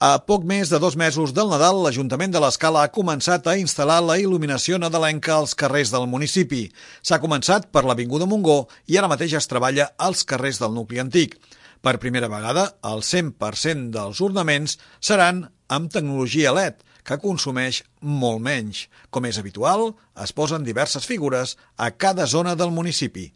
A poc més de 2 mesos del Nadal, l'Ajuntament de l'Escala ha començat a instal·lar la il·luminació nadalenca als carrers del municipi. S'ha començat per l'Avinguda Montgó i ara mateix es treballa als carrers del nucli antic. Per primera vegada, el 100% dels ornaments seran amb tecnologia LED, que consumeix molt menys. Com és habitual, es posen diverses figures a cada zona del municipi.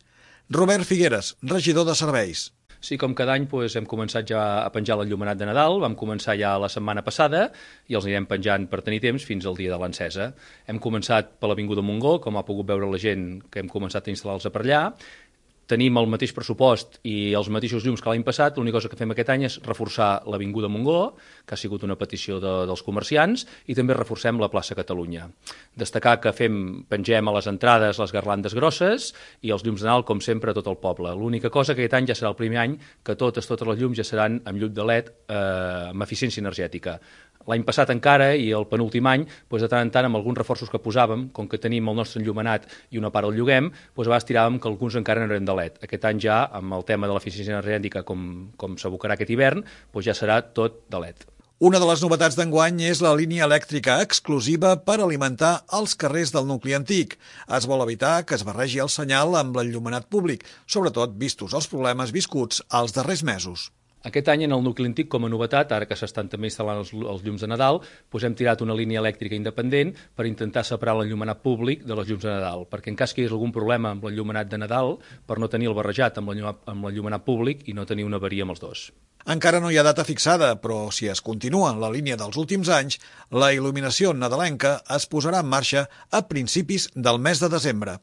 Robert Figueres, regidor de Serveis. Sí, com cada any hem començat ja a penjar l'enllumenat de Nadal, vam començar ja la setmana passada i els anirem penjant per tenir temps fins al dia de l'encesa. Hem començat per l'Avinguda Montgó, com ha pogut veure la gent que hem començat a instal·lar-los per allà. Tenim el mateix pressupost i els mateixos llums que l'any passat. L'única cosa que fem aquest any és reforçar l'Avinguda Montgó, que ha sigut una petició dels comerciants, i també reforcem la plaça Catalunya. Destacar que pengem a les entrades les garlandes grosses i els llums de Nadal, com sempre, a tot el poble. L'única cosa que aquest any ja serà el primer any que totes les llums ja seran amb llum de LED amb eficiència energètica. L'any passat encara, i el penúltim any, de tant en tant, amb alguns reforços que posàvem, com que tenim el nostre enllumenat i una part el lloguem, a vegades tiràvem que alguns encara no eren de LED. Aquest any ja, amb el tema de l'eficiència energètica, com s'abocarà aquest hivern, ja serà tot de LED. Una de les novetats d'enguany és la línia elèctrica exclusiva per alimentar els carrers del nucli antic. Es vol evitar que es barregi el senyal amb l'enllumenat públic, sobretot vistos els problemes viscuts els darrers mesos. Aquest any, en el nucli antic, com a novetat, ara que s'estan també instal·lant els llums de Nadal, hem tirat una línia elèctrica independent per intentar separar l'enllumenat públic de les llums de Nadal, perquè en cas que hi hagués algun problema amb l'enllumenat de Nadal, per no tenir el barrejat amb l'enllumenat públic i no tenir una avaria amb els dos. Encara no hi ha data fixada, però si es continua en la línia dels últims anys, la il·luminació nadalenca es posarà en marxa a principis del mes de desembre.